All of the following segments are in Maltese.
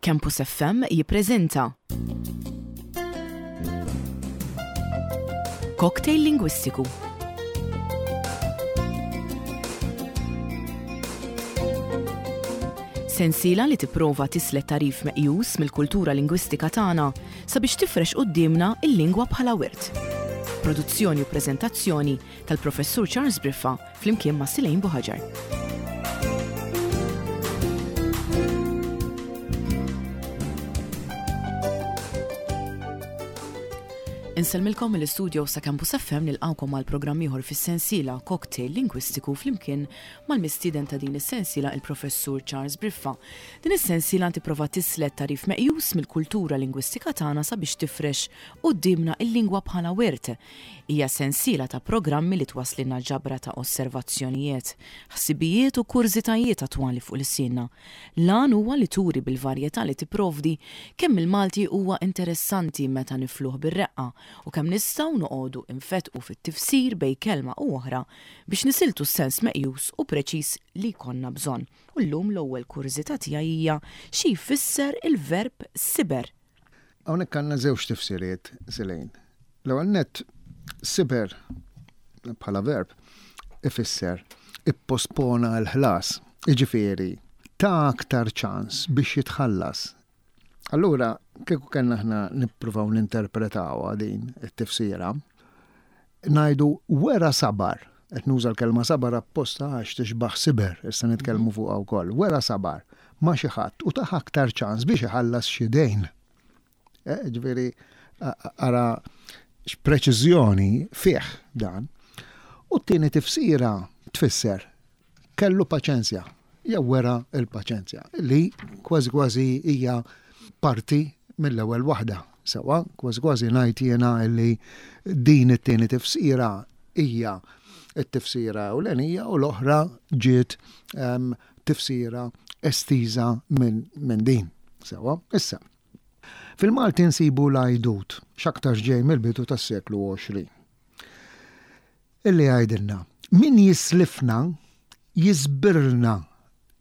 Campus FM jippreżenta Cocktail Lingwistiku. Sensiela li tipprova tislet tagħrif meqjus mill-kultura lingwistika tagħna sabiex tifrex quddiemna l-lingwa bħala wirt. Produzzjoni u preżentazzjoni tal-Professur Charles Briffa flimkien ma' Silejn Buħaġar. Insellmilkom mill-istudio sa' Campus FM nilqawkom għal programm ieħor fis-sensiela Cocktail Lingwistiku flimkien mal-mistieden ta' din is-sensiela il-Professur Charles Briffa. Din is-sensiela tipprova tislet tagħrif meqjus mill-kultura lingwistika tagħna sabiex tifrex quddiemna il-lingwa bħala wirt. Hija sensiela ta' programmi li twasslilna ġabra ta' osservazzjonijiet, ħsibijiet u kurżitajiet attwali fuq lsienna. L-għan huwa li turi bil-varjetà li tipprovdi kemm il-Malti huwa interessanti meta nifluh bir-reqqa u kemm nistgħu noqogħdu infettqu fit-tifsir bejn kelma u oħra biex nisiltu s-sens meqjus u preċiż li jkollna bżonn. U llum l-ewwel kurżità tiegħi hija xi jfisser il-verb siber? Hawnhekk għandna żewġ tifsiriet, Silejn. L-ewwel nett, siber bħala verb ifisser ippospona l-ħlas, jiġifieri ta aktar ċans biex jitħallas. Allura, kieku kellna aħna nippruvaw ninterpretawha din it-tifsira, ngħidu wera sabar, qed nuża l-kelma sabar apposta għax tixbaħ siber, issa nitkellmu fuqha wkoll, wera sabar ma' xi ħadd u tah aktar ċans biex iħallas xi dejn. Eh, ġifieri ara x'preċiżjoni fih dan. U t-tieni tifsira tfisser kellu paċenzja jew wera l-paċenzja li kważi kważi hija parti mill-ewwel waħda. Sewa, kważi kważi ngħid jiena li din it-tieni tifsira hija t-tifsira ewlenija u l-oħra ġiet ehm, tifsira estiża minn min din. Sewa, issa. Fil-Malti nsibu l-għajdut, x'aktarx ġej mill-bidu tas-seklu 20. Illi jgħidilna, min jislifna jiżbirlna,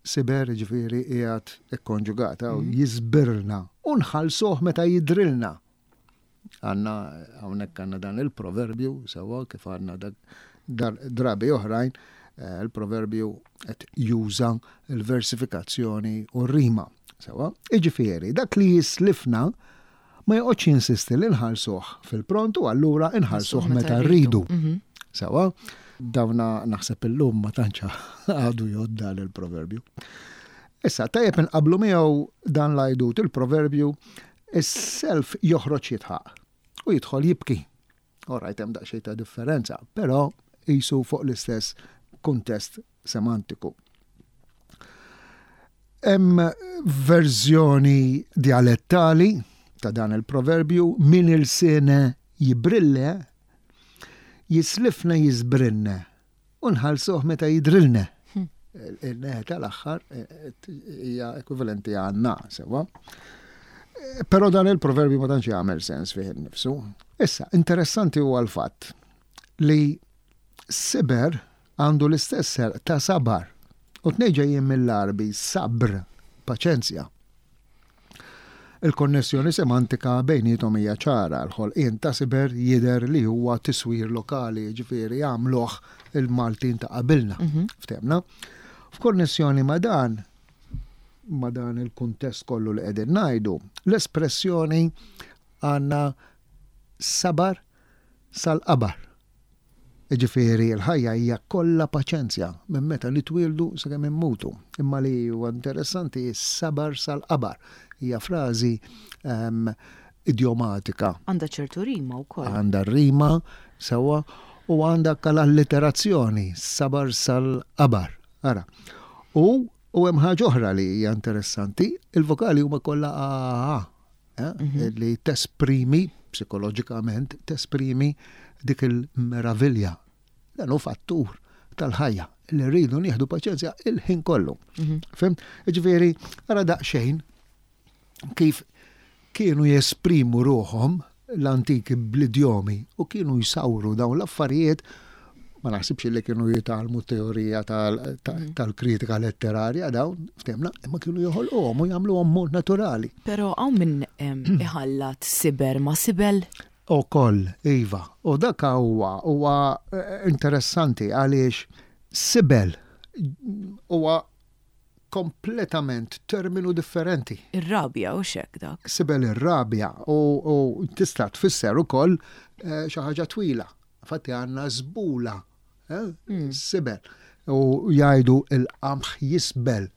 siber ġifieri qiegħed ikkonġugata, mhm. jiżbirlna u nħallsuh meta jidrilna. Għanna hawnhekk għandna dan il-proverbju sewwa kif għandna drabi oħrajn, eh, il-proverbju qed juża l-versifikazzjoni u r-rima. Sewwa, iġifieri dak li jislifna ma joqgħodx jinsisti li nħallsuh fil-pront u allura nħallsuh meta rridu. Mhm. Sewwa, dawna naħseb illum ma tantx għadu jgħod dan il-proverbju. Issa, tajjeb inqablu miegħu dan l-għajdut il-proverbju is-self joħroġ jitħaq u jidħol jibki. All right, hemm daqsxejn ta' differenza, però qisu fuq l-istess kuntest semantiku. Hemm verżjoni dialettali ta' dan il-proverbju min ilsiene jibrille, jislifna jiżbrinne u nħallsuh meta jidrilne. Hmm. Il-neħe tal-aħħar eh, eh, hija ekwivalenti għanna, sewa. Eh, però dan il-proverbju ma tantx jagħmel sens fih innifsu. Issa, interessanti huwa l-fatt li siber għandu l-istess serq ta' sabar. U tnej ġejjin mill-Għarbi sabr, paċenzja. Il-konnessjoni semantika bejniethom hija ċara, l-ħolqien ta' siber jidher li huwa tiswir lokali, jiġifieri għamluh il-Maltin ta' qabilna. Mhm. Ftehmna? F'konnessjoni ma' dan, ma' dan il-kuntest kollu li qegħdin ngħidu, l-espressjoni għandna sabar sal-qabar. Jiġifieri l-ħajja hija kollha paċenzja minn meta nitwieldu sakemm immutu. Imma li huwa interessanti hi s-sabar sal-qabar. Hija frażi ehm, idjomatika. Għandha ċertu rima wkoll. Għandha rima sewwa u għandha l-alliterazzjoni, sabar sal-qabar. Ara. U u hemm ħaġa oħra li hija interessanti, il-vokali huma kollha a a eh, mhm. li tesprimi psikoloġikament tesprimi dik il-meravilja. Dan hu fattur tal-ħajja li rridu nieħdu paċenzja il-ħin kollu. Mhm. Fim? Ġifieri, ara daqsxejn kif kienu jesprimu ruħhom l-antiki bl-idjomi u kienu jsawru dawn l-affarijiet. Ma naħsibx li kienu jitgħallmu teorija mhm. tal-kritika letterarja dawn, ftemna, imma kienu joħolquhom u jagħmluhom mod naturali. Però hawn min iħallat siber ma' sibel? Ukoll, iva. U dak huwa huwa eh, interessanti għaliex sibel huwa kompletament terminu differenti. Ir-rabja u xek dak. Sibel ir-rabja u tista' tfisser ukoll eh, xi ħaġa twila. Fatti għandna żbula, eh, hmm. sibel. U jgħidu il-qamħ jisbel.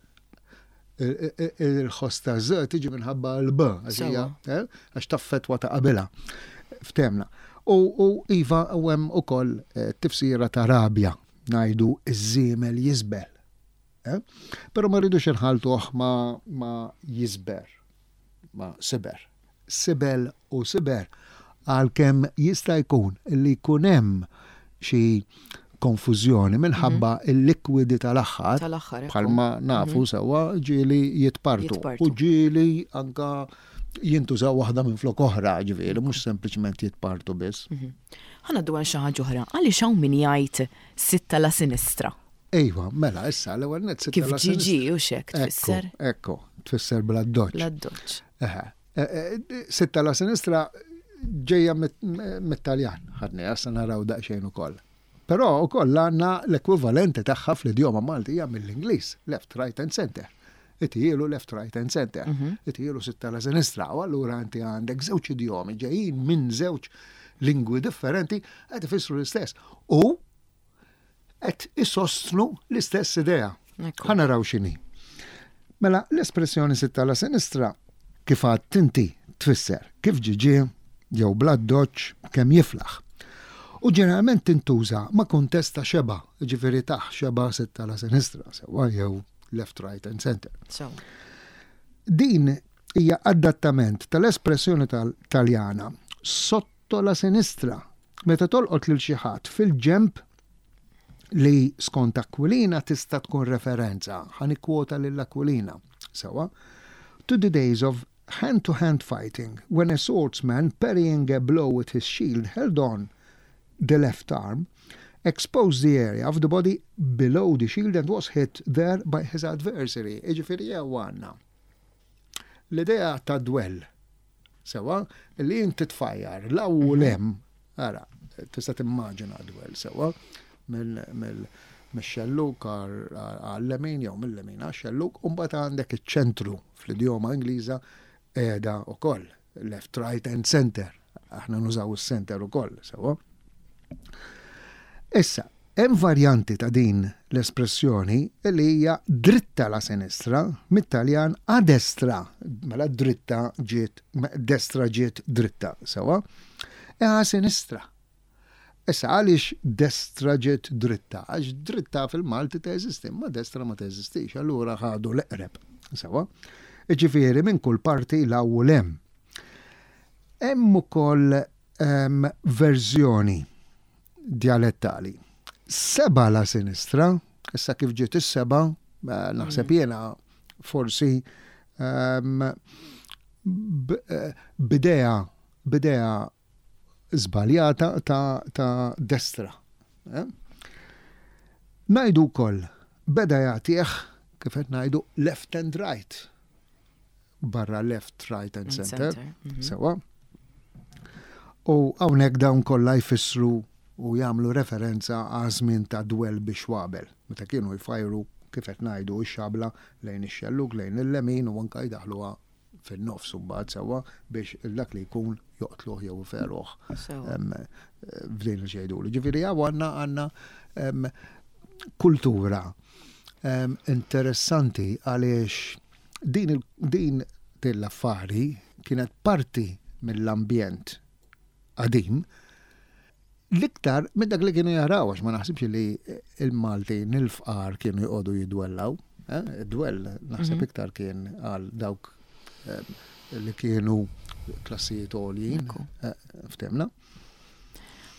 Il-ħoss ta' z tiġi minħabba l-b, eh, għax taffetwa ta' qabilha. Ftemna. U iva u hemm ukoll tifsira ta' rabja, ngħidu iż-żiemel jisbel. Eh? Però ma rridux inħaltuh ma, ma jisber, ma siber. Sibel u siber għalkemm jista' jkun li jkun hemm xi konfużjoni minħabba mhm. il-likwidi tal-aħħar. Tal-aħħar. Bħalma nafu mhm. sewwa ġieli jitpartu. U ġieli anka jintużaw waħda minn flok oħra, ġifieri, mhux sempliċement jitpartu biss. Mhm. Ħa ngħaddu għal xi ħaġa oħra. Għaliex hawn min jgħid sitta la sinistra? Ejwa, mela, issa l-ewwel nett sitta la sinistra. Kif ġiġi u xek tfisser? Ekku, tfisser bla doċ. Bla doċ. E, e, sitta la sinistra ġejja mit-Taljan, ħadni, issa naraw daqsxejn ukoll. Però ukoll għandna l-ekwivalenti tagħha fl-idjoma Maltija mill-Ingliż, left, right and center. Itijielu left, right and center. Mhm. Itijielu sitta la sinistra. U allura inti għandek żewġ idjomi ġejjin minn żewġ lingwi differenti qed ifissru l-istess. U qed isostnu l-istess idea. Ħa naraw x'inhi. Mela, l-espressjoni sitta la sinistra kif għadt inti tfisser kif ġie ġie jew bl-addoċċ kemm jiflaħ. U ġeneralment tintuża ma' kuntest ta' xebgħa, jiġifieri tah xebgħa sitta la sinistra, sewwa jew left, right and center. Din hija adattament tal-espressjoni Taljana sotto la sinistra meta tolqot lil xi ħadd fil-ġenb li skont Aquilina tista' tkun referenza, ħa nikkwota lil Aquilina, sewwa, to the days of hand-to-hand fighting when a swordsman parrying a blow with his shield held on the left arm, exposed the area of the body below the shield and was hit there by his adversary. Jiġifieri jew għandna l-idea ta' dwell Sewwa, li inti tfajjar 'l hawn u 'l hemm, ara, tista' timmaġina dwell sewwa, mix-xellug għal-lemin jew mil-lemin għax-xellug, u mbagħad għandek iċ-ċentru fl-idjoma Ingliża qiegħda wkoll, left, right and center. Aħna nużaw is-center ukoll, sewwa. Issa, Hemm varjanti ta' din l-espressjoni li hija dritta la sinistra, mit-Taljan a destra, mela dritta ġiet, destra ġiet dritta, sewwa, e a sinistra. Issa għaliex destra ġiet dritta? Għax dritta fil-Malti teżisti, imma destra ma teżistix, allura ħadu l-eqreb, sewwa. Jiġifieri minn kull parti 'l hawn u 'l hemm. Hemm ukoll verżjoni djalettali. Seba la sinistra, issa kif ġiet is-seba, eh, naħseb mm. jiena forsi ehm, eh, bidea bidea żbaljata ta', ta destra. Eh? Najdu wkoll beda jagħtih kif qed ngħidu left and right. Barra left, right and center. Mhm. Sewa. U hawnhekk dawn kollha jfissru u jagħmlu referenza għaż-żmien ta' dwell bix-xwabel, meta kienu jfajru, kif qed ngħidu, ix-xabla lejn ix-xellug, lejn il-lemin u anke jdaħħluha fin-nofs imbagħad sewwa biex dak li jkun joqtluh jew iferuh f'din il-xejdulu. Ġifieri hawn għandna għandna kultura interessanti għaliex Din din l-affari kienet parti mill-ambjent qadim l-iktar minn dak li kienu jaraw għax ma naħsibx li il-Maltin il-fqar kienu jqogħdu jidwellaw. Eh, dwell naħseb mhm. iktar kien għal dawk eh, li kienu klassijiet għoljin, eh, ftemna.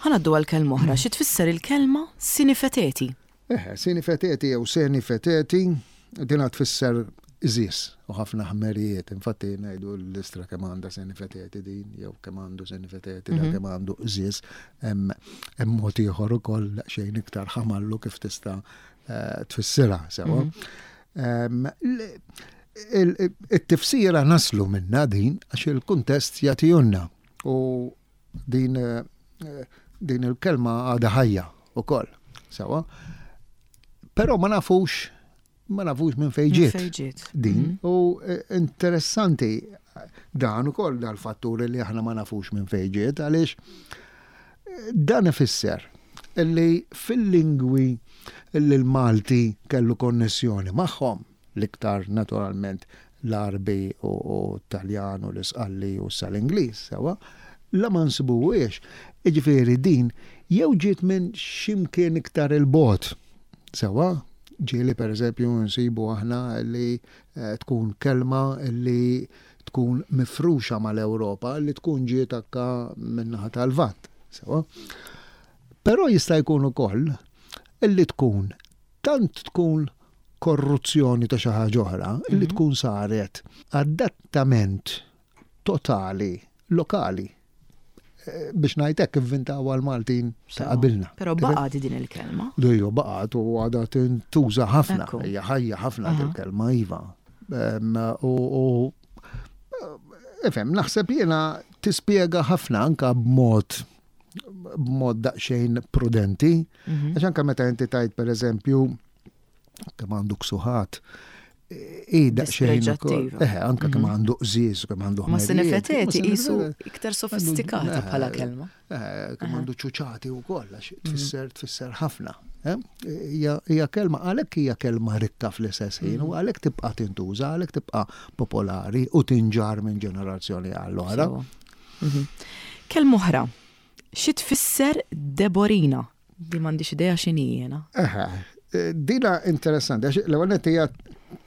Ħanaddu għal kelma oħra, xi tfisser il-kelma sinifeteti? Eħe, sinifeteti jew senifeteti, dina tfisser qżież u ħafna ħmerijiet. Infatti ngħidu l-istra kemm għandha senifeteti din, jew kemm għandu senifeteti, da kemm għandu qżież. Hemm mod ieħor ukoll daqsxejn iktar ħamallu kif tista' eh, tfissirha sewa. Mhm. It-tifsira naslu minna din għax il-kuntest jagħtihulna u din eh, din il-kelma għadha ħajja ukoll. Sewa. Però ma nafux ma nafux minn fejn ġiet. Din mhm. u eh, interessanti dan ukoll dal-fattur li aħna ma nafux minn fejn ġiet għaliex eh, dan ifisser li fil-lingwi li l-Malti kellu konnessjoni magħhom l-iktar naturalment l-Għarbi u t-Taljan u l-Isqalli u issa l-Ingliż, sewwa, la ma nsibuhiex, jiġifieri din jew ġiet minn xi mkien iktar 'il bogħod, sewwa, ġieli pereżempju nsibu aħna li tkun kelma li tkun mifruxa mal-Ewropa li tkun ġiet anke min-naħa tal-Lvant, sewwa. Però jista' jkun ukoll li tkun tant tkun korruzzjoni ta' xi ħaġa oħra li mhm. tkun saret adattament totali lokali eh, biex ngħid hekk ivvintaw għal Maltin ta' qabilna. Però baqgħet din il-kelma. Dejju baqgħet u għadha tintuża ħafna, hija ħajja ħafna il-kelma iva. U ifhem, naħseb jiena tispjega ħafna anka b'mod b'mod daqsxejn prudenti, mhm. għax anka meta inti tajt pereżempju kemm għandu ksuħat, i daqsxejn. Eh, anka kemm mhm. għandu qżież, kemm għandu Ma sinefeteti qisu iktar sofistikata bħala kelma. Eh, kemm għandu ċuċati wkoll għax mhm. tfisser tfisser ħafna. Eh? Hija kelma għalhekk hija kelma rikka fl-istess ħin u mhm. għalhekk tibqa' tintuża, għalhekk tibqa' popolari u tinġar minn ġenerazzjoni għall oħra. Kelma oħra, xi tfisser deborina? Di m'għandix idea x'inhi jiena. Eħe, dina interessanti, għax l-ewwel nett hija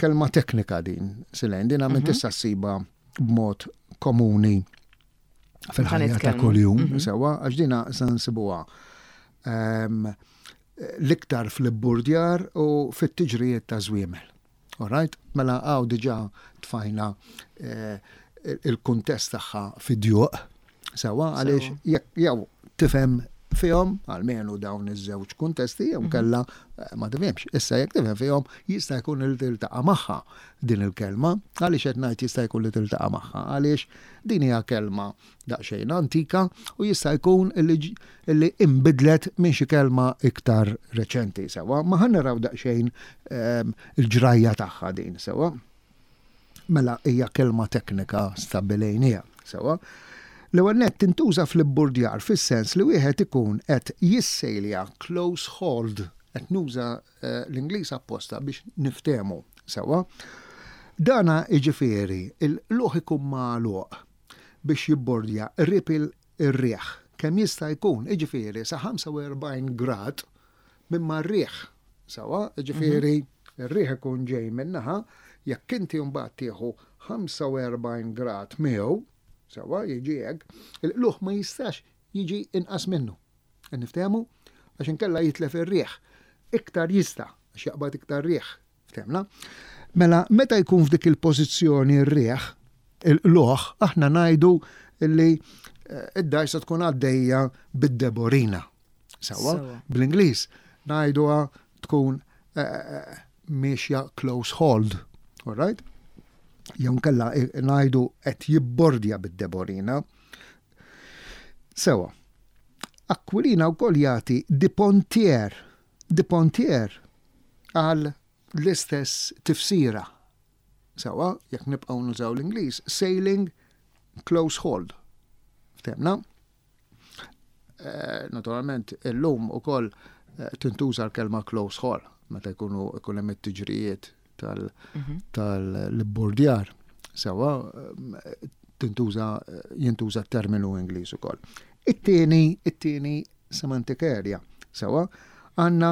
kelma teknika din, Silejn, dina minn mhm. tista' ssiba b'mod komuni fil-ħajja ta' kuljum, mhm. sewwa, għax dina se nsibuha ehm, l-iktar fl-ibburdjar u fit-tiġrijiet ta' żwiemel. All right? Mela hawn diġà tfajna eh, il-kuntest tagħha fid-djuq. Sewwa għaliex jekk jew tifhem fihom, almenu dawn iż-żewġ kuntesti, jew mhm. kella eh, ma tifhimx. Issa jekk tifhem fihom jista' jkun li tiltaqa' magħha din il-kelma. Għaliex qed ngħid jista' jkun li tiltaqa' magħha? Għaliex din hija kelma daqsxejn antika u jista' jkun li inbidlet minn xi kelma iktar reċenti sewwa. Ma ħa naraw daqsxejn ehm, il-ġrajja tagħha din sewwa. Mela hija kelma teknika stabbilejniha sewwa. L-ewwel nett tintuża fl-ibburdjar fis-sens li wieħed ikun qed jissejlja close hauled, qed nuża eh, l-Ingliż apposta biex niftehmu sewwa. Dana jiġifieri il-qlugħ ikun magħluq biex jibbordja qrib ir-riħ kemm jista' jkun, jiġifieri sa 45 grad minn mar-riħ. Sewwa, jiġifieri r-riħ ikun ġej minn naħa, jekk inti mbagħad tieħu 45 grad miegħu, sewwa, jiġi hekk, il-qlugħ ma jistax jiġi inqas minnu. Qed niftehmu? Għax inkella jitlef ir-riħ. Iktar jista' għax jaqbad iktar riħ. Ftehmna? Mela, meta jkun f'dik il-pożizzjoni r-riħ, il-qlugħ, aħna ngħidu li eh, id-dajsa tkun għaddejja bid-deborina. Sewwa, bl-Ingliż ngħiduha tkun eh, eh, miexja close hold. All right? Jew nkella ngħidu qed jibbordja bid-deborina. Sewwa. Aquilina wkoll jagħti di pontier, di pontier għal l-istess tifsira. Sewwa, jekk nibqgħu nużaw l-Ingliż, sailing close hauled. Ftehmna? Eh, naturalment, illum ukoll eh, tintuża l-kelma close haul meta jkunu ikun hemm it-tiġrijiet mhm. tal-bordjar. Sewwa, eh, tintuża jintuża terminu Ingliż ukoll. It-tieni, it-tieni semantic area. Sewwa, għandna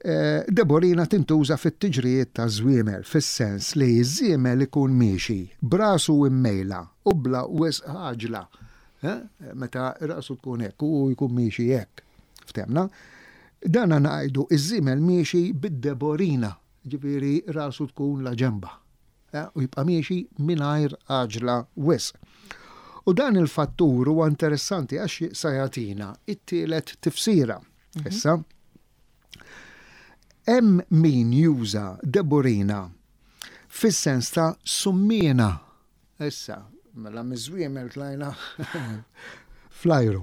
eh, deborina tintuża fit-tiġrijiet ta' żwiemel, fis-sens li ż-żiemel ikun miexi b'rasu immejla u bla wisq għaġla. Eh, meta rasu tkun hekk u jkun miexi hekk. Ftemna? Dan ngħidu iż-żiemel miexi bid-deborina, ġifieri rasu tkun la ġemba. U jibqa' miexi mingħajr għaġla wisq. U dan il-fattur huwa interessanti għax sa jagħtina it-tielet tifsira. Issa, hemm min juża deborina fis-sens ta' summiena. Issa, mela miż-żwiemel tlajna fl-ajru.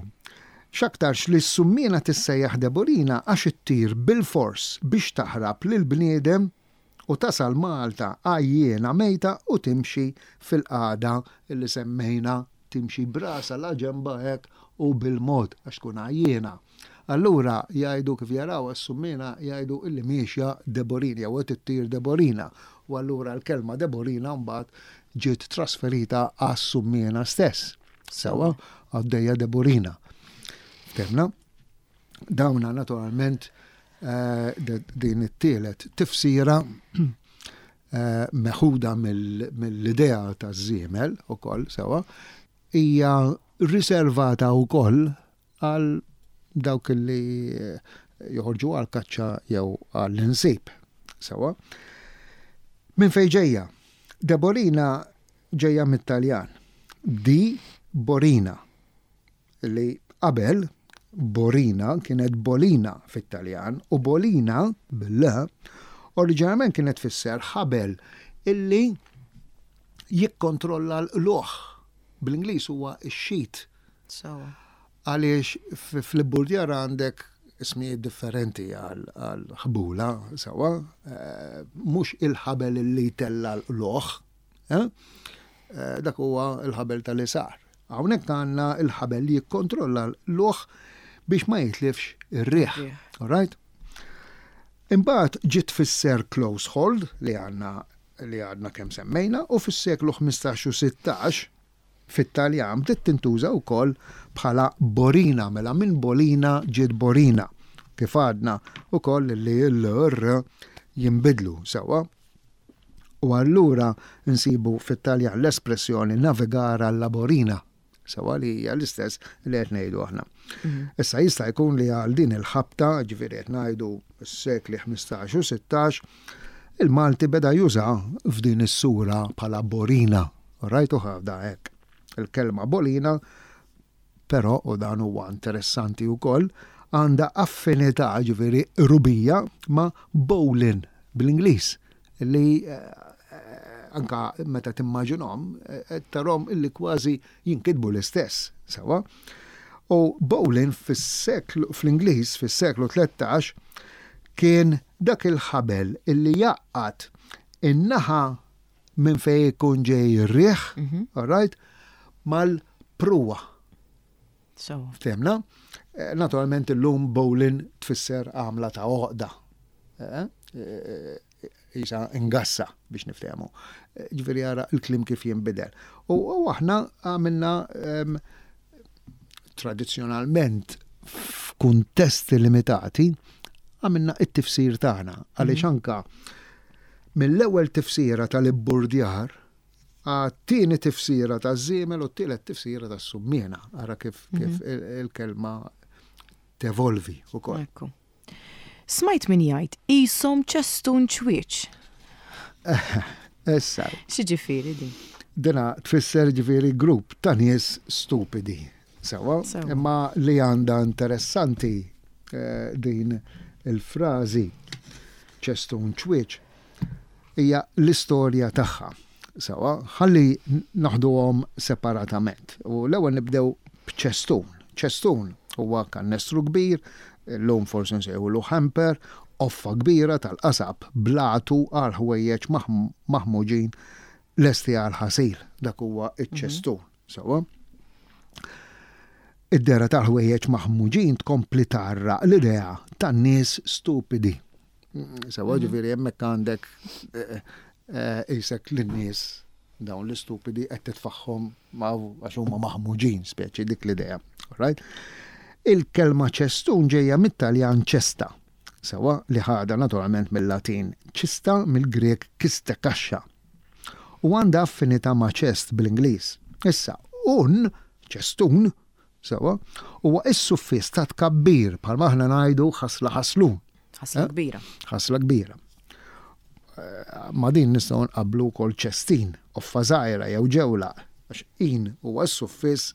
X'aktarx li s-summiena tissejjaħ deborina għax ittir bilfors biex taħrab lill-bniedem u tasal Malta għajjiena mejta u timxi fil-qagħda li semmejna, timxi b'rasha la ġenbha hekk u bil-mod għax tkun għajjiena. Allura jgħidu kif jaraw s-summiena jgħidu illi miexja Deborina jew qed ittir Deborina u allura l-kelma Deborina mbagħad ġiet trasferita għas-summiena stess. Sewwa għaddejja Deborina. Ftemna? Dawna naturalment eh, din it-tielet tifsira eh, meħuda mill-idea taż-żiemel ukoll sewwa hija riservata wkoll għal dawk li joħorġu għal kaċċa jew għall-insib. Sewwa. Minn fejn ġejja? Deborina ġejja mit-Taljan. Di Borina. Li qabel Borina kienet Bolina fit-Taljan u Bolina bil-L oriġinarjament kienet tfisser ħabel illi jikkontrolla l-qlugħ. Bl-Ingliż huwa x-sheet. Sewwa. Għaliex fl-ibburdjar għandek ismijiet differenti għal ħbula, sewwa, eh, mhux il-ħabel li jtella l-qlugħ, eh? Eh, dak huwa l-ħabel tal-isar. Hawnhekk għandna l-ħabel li jikkontrolla l-qlugħ biex ma jitlifx ir-riħ. All right? Imbagħad ġiet tfisser close hold li għandna li għadna kemm semmejna u fis-seklu 15 u 16 Fit-Taljan bdiet tintuża wkoll bħala borina, mela minn bolina ġiet borina. Kif għadna wkoll li l-r jinbidlu sewwa. U allura nsibu fit-Taljan l-espressjoni navigare alla borina, sewwa li hija l-istess li qed ngħidu aħna. Mhm. Issa jista' jkun li għal din il-ħabta, ġifieri qed ngħidu s-sekli 15 u 16, il-Malti beda juża f'din is-sura bħala borina. Rajtu ħafna hekk. Il-kelma bolina, però, u dan huwa interessanti wkoll, għandha affinità, ġifieri qrubija, ma' bowling bl-Ingliż, li eh, anka meta timmaġinhom, eh, tarhom illi kważi jinkitbu l-istess, sewwa. U bowling fis-seklu fl-Ingliż fis-seklu 13 kien dak il-ħabel illi jgħaqqad in-naħa minn fejn ikun ġej ir-riħ, mhm. all right, mal-pruwa. So. Ftemna? Eh, naturalment illum bowling tfisser għamla ta' oqda. Eh, eh, isa ingassa biex niftehmu. Ġifieri ara l-klim kif jinbidel. U aħna għamilna ehm, tradizzjonalment f'kuntesti limitati għamilna it-tifsir tagħna għaliex mhm. anka Mill-ewwel tifsira tal-ibburdjar għat-tieni tifsira taż-żiemel u t-tielet tifsira tas-summiena. Ara kif kif mhm. il-kelma tevolvi ukoll. Ekku. Smajt min jgħid qishom ċestun ċwieċ. Issa. X'ġifieri din? Dina tfisser ġifieri grupp ta' nies stupidi. Sewa, imma li għandha interessanti eh, din il-frażi ċestun ċwieċ hija l-istorja tagħha. Sewa, ħalli naħduhom separatament. U l-ewwel nibdew b'ċestun. Ċestun huwa kannestru kbir, illum forsi nsejħulu hamper, qoffa kbira tal-qasab blatu għal ħwejjeġ maħmuġin lesti għal ħasil. Dak huwa iċ-ċestun. Sewwa. Id-dehra tal-ħwejjeġ maħmuġin tkompli tgħarraq l-idea tan-nies stupidi. Sewwa mhm. ġifieri hemmhekk għandek eh, eh, isek lin-nies dawn l-istupidi qed titfaħħom għax huma maħmuġin speċi dik l-idea. Right? Il-kelma ċestun ġejja mit-Taljan ċesta. Sewwa li ħadha naturalment mill-Latin ċista mill-Grieg kiste kaxxa. U għandha affinità ma' chest bl-Ingliż. Issa, un, ċestun, sewwa, huwa s-suffiss ta' tkabbir bħalma aħna ngħidu ħasla ħaslun. Ħasla eh? kbira. Ħasla kbira. Ma' din nistgħu nqabblu wkoll ċestin, qoffa żgħira jew ġewlaq, għax in huwa s-suffiss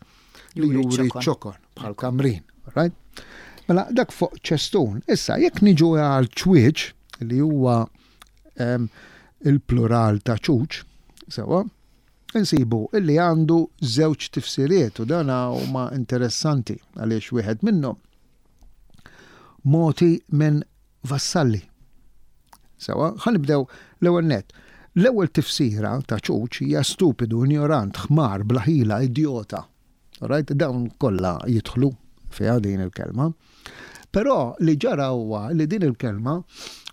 li juri ċ-ċokon bħal kamrin. Right? Mela dak fuq ċestun. Issa jekk niġu għal ċwieċ li huwa il-plural ta' ċuċ, sewa, insibu illi għandu żewġ tifsiriet u dana huma interessanti għaliex wieħed minnhom moti minn Vassalli. Sewa, ħa nibdew l-ewwel nett. L-ewwel tifsira ta' ċuċ hija stupidu, injorant, ħmar, bla ħila, idjota. Right? Dawn kollha jidħlu fiha din il-kelma. Però li ġara huwa li din il-kelma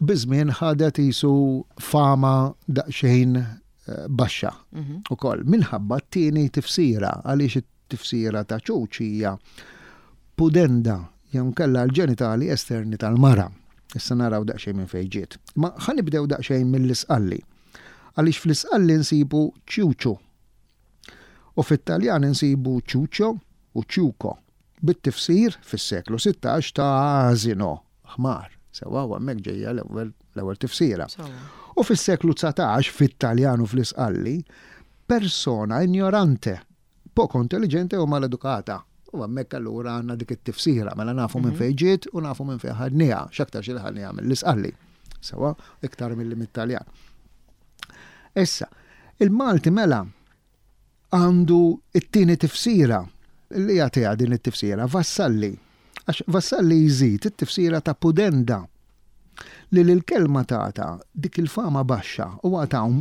biż-żmien ħadet isu fama daqsxejn eh, baxxa mhm. ukoll minħabba t-tieni tifsira għaliex Tifsira ta' ċuċ hija pudenda jew inkella l-ġenitali esterni tal-mara. Issa naraw daqsxejn minn fejn ġiet. Imma ħa nibdew daqsxejn mill-Isqalli. Għaliex fl-Isqalli nsibu ċuċu. U fit-Taljan insibu ċuċo u ċuco bit-tifsir fis-seklu 16 ta' asino, ħmar. Sewwa u hemmhekk ġejja l-ewwel l-ewwel tifsira. U fis-seklu 19 fit-Taljan u fl-Isqalli persona ignorante poco intelligente u maleducata. U hemmhekk allura għandna dik it-tifsira, mela nafu minn mhm. fejn ġiet u nafu minn fejn ħadniha, x'aktar xi ħadniha mill-Isqalli. Sewa, iktar milli mit-Taljan. Issa, il-Malti mela għandu it-tieni tifsira li jagħtiha din it-tifsira Vassalli. Għax Vassalli jżid it-tifsira ta' pudenda li l-kelma tagħta dik il-fama baxxa u għatawm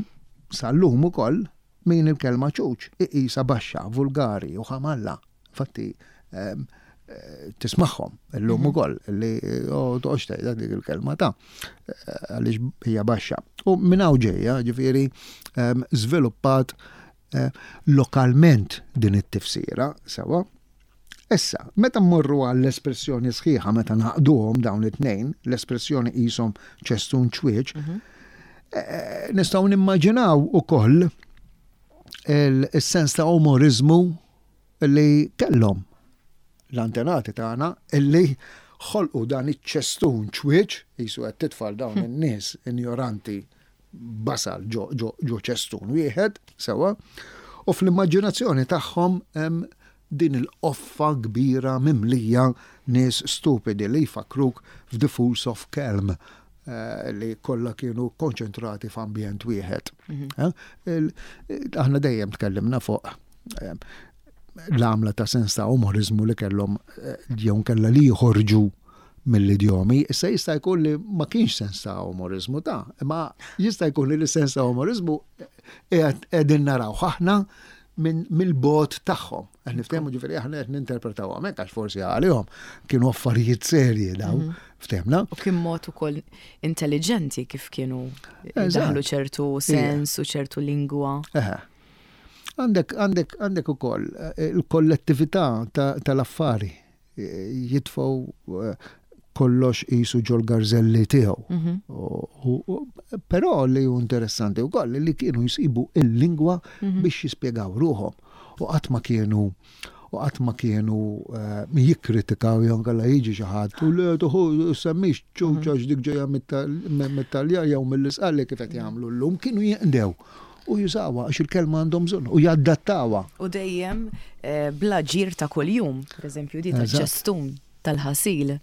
sal-lum ukoll Min il-kelma ċuċ iqisha baxxa, vulgari u ħamalla. Infatti ehm, eh, tismagħhom illum mhm. ukoll li oh, toqgħodx tgħidha dik il-kelma ta' eh, għaliex hija baxxa. U minn hawn ġejja, ġifieri ehm, żviluppat eh, lokalment din it-tifsira sewa. Issa, meta mmorru għall-espressjoni sħiħa meta naqduhom dawn it-tnejn, l-espressjoni qishom ċestun ċwieċ, mhm. eh, nistgħu nimmaġinaw ukoll il-sens ta' umorizmu li kellhom l-antenati tagħna illi ħolqu dan iċ-ċestun ċwieċ, jisu qed titfal dawn hm. in-nies injoranti basal ġo, ġo, ġo ċestun wieħed, sewwa, u fl-immaġinazzjoni tagħhom hemm din il-qoffa kbira mimlija nies stupidi li jfakkruk f'The Fools of Kelm eh, li kollha kienu konċentrati f'ambjent wieħed. Mhm. Eh, aħna dejjem tkellimna fuq eh, l-għamla ta' sens ta' umorizmu li kellhom jew kellha li jħorġu mill-idjomi, issa jista' jkun li ma kienx sens ta' umorizmu ta' imma jista' jkun li sens ta' umorizmu qegħdin naraw aħna mill-bot tagħhom. Qed niftehmu ġifieri aħna qed ninterpretaw hekk għax forsi għalihom kienu affarijiet serji daw, mhm. ftehmna. U kien mod ukoll intelligenti kif kienu daħlu ċertu sens u ċertu lingwa. Għandek għandek għandek ukoll eh, il-kollettività tal-affari jitfgħu eh, kollox qisu ġol-garżelli tiegħu. Mhm. Però li hu interessanti wkoll li kienu jsibu il-lingwa mhm. biex jispjegaw ruħhom u qatt ma kienu u qatt ma kienu eh, jikkritikaw jew kellha jiġi xi ħadd u le tuħu semmix ċuċa mhm. dik ġejja mit-Taljan jew mill-Isqalli kif qed jagħmlu llum kienu jinqdew u jużawha għax il-kelma għandhom bżonn u jadattawha. U dejjem eh, bl-aġir ta' kuljum, pereżempju di ta' ċestun tal-ħasil.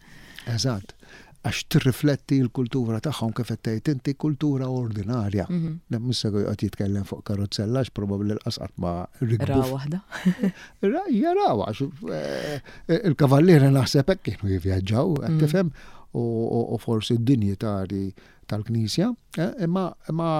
Eżatt. Għax tirrifletti l-kultura tagħhom kif qed tgħid inti kultura ordinarja. Mhm. Mhux se joqgħod jitkellem fuq karozzella għax probabbli l-qas qatt ma rikbu. Ra waħda. Jaraw għax eh, il-kavallieri naħseb hekk kienu jivvjaġġaw, qed mhm. tifhem, u forsi d-dinjitari tal-Knisja, eh, imma imma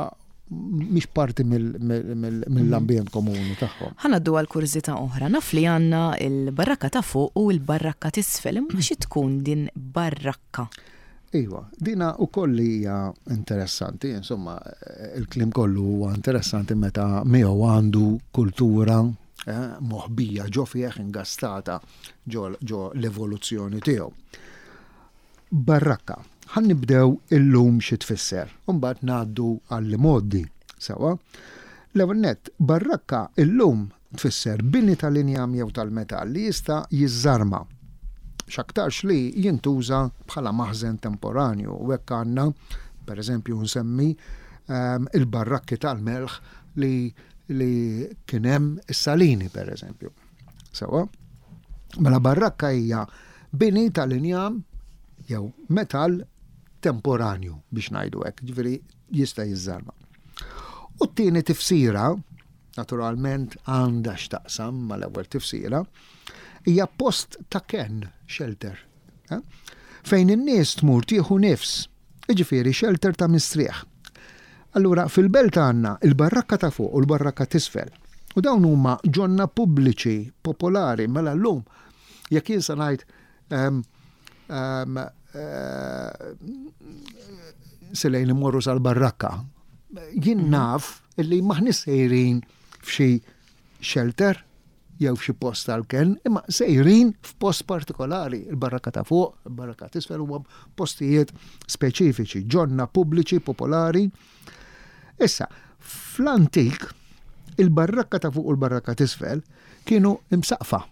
mhix parti mill-ambjent komuni tagħhom. Ħa ngħaddu għal kurżità oħra. Naf li għandna l-barrakka ta' fuq u l-barrakka t'isfel, imma xi tkun din barrakka? Iva, dina wkoll hija interessanti, insomma, il-kliem kollu huwa interessanti meta miegħu għandu kultura eh, moħbija ġo fih ingastata ġo l-evoluzzjoni tiegħu. Barrakka. Ħa nibdew illum xi tfisser, u mbagħad ngħaddu għall-imgħoddi. Sewwa? L-ewwel nett, barrakka illum tfisser bini tal-injam jew tal-metall li jista' jiżżarma. X'aktarx li jintuża bħala maħżen temporanju u hekk għandna, pereżempju nsemmi, il-barrakki tal-melħ li li kien hemm is-salini pereżempju. Sewwa? Mela barrakka hija bini tal-injam jew metall temporanju biex ngħidu hekk, ġifieri jista' jiżżarma. U t-tieni tifsira, naturalment għandha x'taqsam mal-ewwel tifsira, hija post ta' kenn, shelter, eh? fejn in-nies tmur tieħu nifs, jiġifieri shelter ta' mistrieħ. Allura fil-belt għandna il-barrakka ta' fuq u l-barrakka t'isfel. U dawn huma ġonna pubbliċi popolari mela llum jekk jien se ngħid ehm, ehm, eh, selejn immorru sal-barrakka, jien mhm. naf illi maħni sejrin f'xi shelter jew f'xi post tal-kenn, imma sejrin f'post partikolari, il-barrakka ta' fuq, il-barrakka t'isfel huma postijiet speċifiċi, ġonna pubbliċi popolari. Issa, fl-antik, il-barrakka ta' fuq u l-barrakka t'isfel kienu imsaqfa.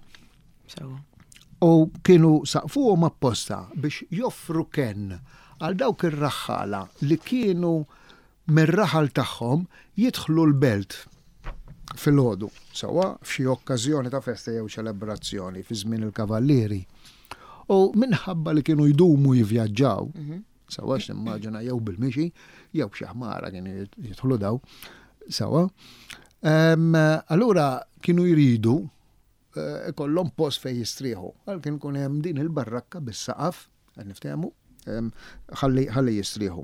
U kienu saqfuhom apposta biex joffru kenn għal dawk ir-raħħala li kienu mir-raħal tagħhom jidħlu l-belt filgħodu, sewwa f'xi okkażjoni ta' festa jew ċelebrazzjoni fi żmien il-Kavallieri. U minħabba li kienu jdumu jivvjaġġaw, mhm. sewwa x'nimmaġina jew bil-mixi, jew b'xi ħmara kienu jidħlu daw, sewwa. Allura kienu jridu eh, ikollhom post fejn jistrieħu. Għal kien ikun hemm din il-barrakka bis-saqaf, qed niftehmu, ħalli ħalli jistrieħu.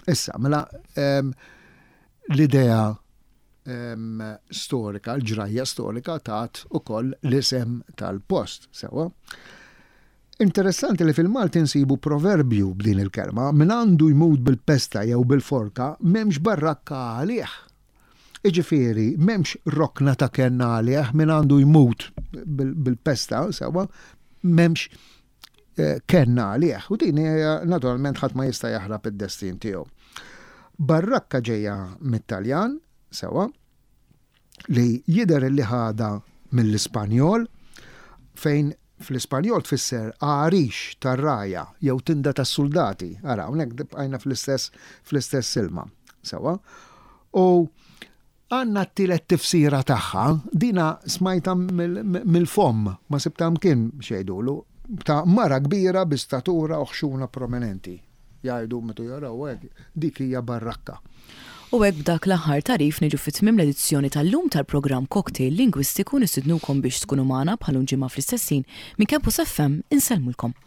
Issa, mela l-idea storika, l-ġrajja storika tat ukoll l-isem tal-post, sewa. Interessanti li fil-Malti nsibu proverbju b'din il-kelma, min għandu jmut bil-pesta jew bil-forka m'hemmx barrakka għalih. Jiġifieri m'hemmx rokna ta' kenn għalih min għandu jmut bil-pesta, sewwa, m'hemmx eh, kenn għalih. U din hija naturalment ħadd ma jista' jaħrab id-destin tiegħu. Barrakka ġejja mit-Taljan, sewwa, li jidher li ħadha mill-Ispanjol fejn Fl-Ispanjol tfisser għarix tar-rgħajja jew tinda tas-suldati. Ara, hawnhekk bqajna fl-istess fl-istess ilma. Sewwa? U għandna t-tielet tifsira tagħha, dina smajta mill-fomm, ma sibtha mkien x'jgħidulu, ta' mara kbira bi statura u ħxuna prominenti. Jgħidu meta jaraw hekk, dik hija barrakka. U hekk b'dak l-aħħar tagħrif niġu fi tmiem l-edizzjoni tal-lum tal-programm Cocktail Lingwistiku nistidnukom biex tkunu magħna bħal ġimgħa fl-istess ħin minn Campus FM insellmulkom.